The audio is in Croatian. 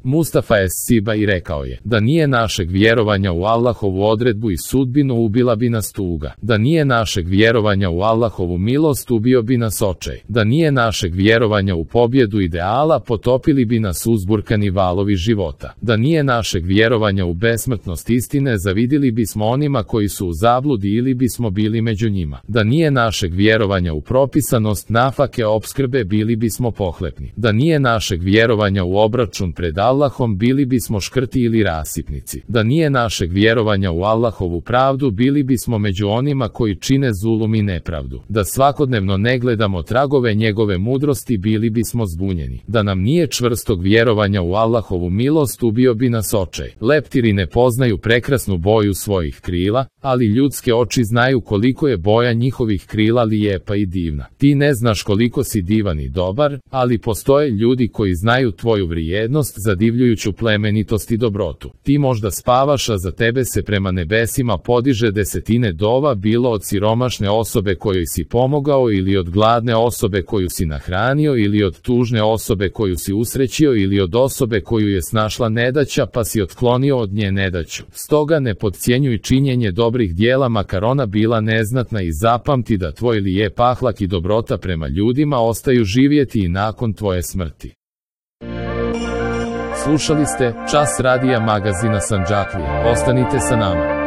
Mustafa es-Siba i rekao je, da nije našeg vjerovanja u Allahovu odredbu i sudbinu ubila bi nas tuga, da nije našeg vjerovanja u Allahovu milost ubio bi nas očaj, da nije našeg vjerovanja u pobjedu ideala potopili bi nas uzburkani valovi života, da nije našeg vjerovanja u besmrtnost istine zavidili bismo onima koji su u zabludi ili bismo bili među njima, da nije našeg vjerovanja u propisanost nafake opskrbe bili bismo pohlepni, da nije našeg vjerovanja u obračun pred Allahom bili bismo škrti ili rasipnici, da nije našeg vjerovanja u Allahovu pravdu bili bismo među onima koji čine zulum i nepravdu, da svakodnevno ne gledamo tragove njegove mudrosti bili bismo zbunjeni, da nam nije čvrstog vjerovanja u Allahovu milost ubio bi nas očaj. Leptiri ne poznaju prekrasnu boju svojih krila, ali ljudske oči znaju koliko je boja njihovih krila lijepa i divna. Ti ne znaš koliko si divan i dobar, ali postoje ljudi koji znaju tvoju vrijednost, zadivljujuću plemenitost i dobrotu. Ti možda spavaš, a za tebe se prema nebesima podiže desetine dova, bilo od siromašne osobe kojoj si pomogao ili od gladne osobe koju si nahranio ili od tužne osobe koju si usrećio ili od osobe koju je snašla nedaća pa si otklonio od nje nedaću. Stoga ne podcjenjuj činjenje dobrih dijela makar ona bila neznatna i zapamti da tvoj lijep ahlak i dobrota prema ljudima ostaju živjeti i nakon tvoje smrti. Slušali ste Čas radija magazina Sandžaklija. Ostanite sa nama.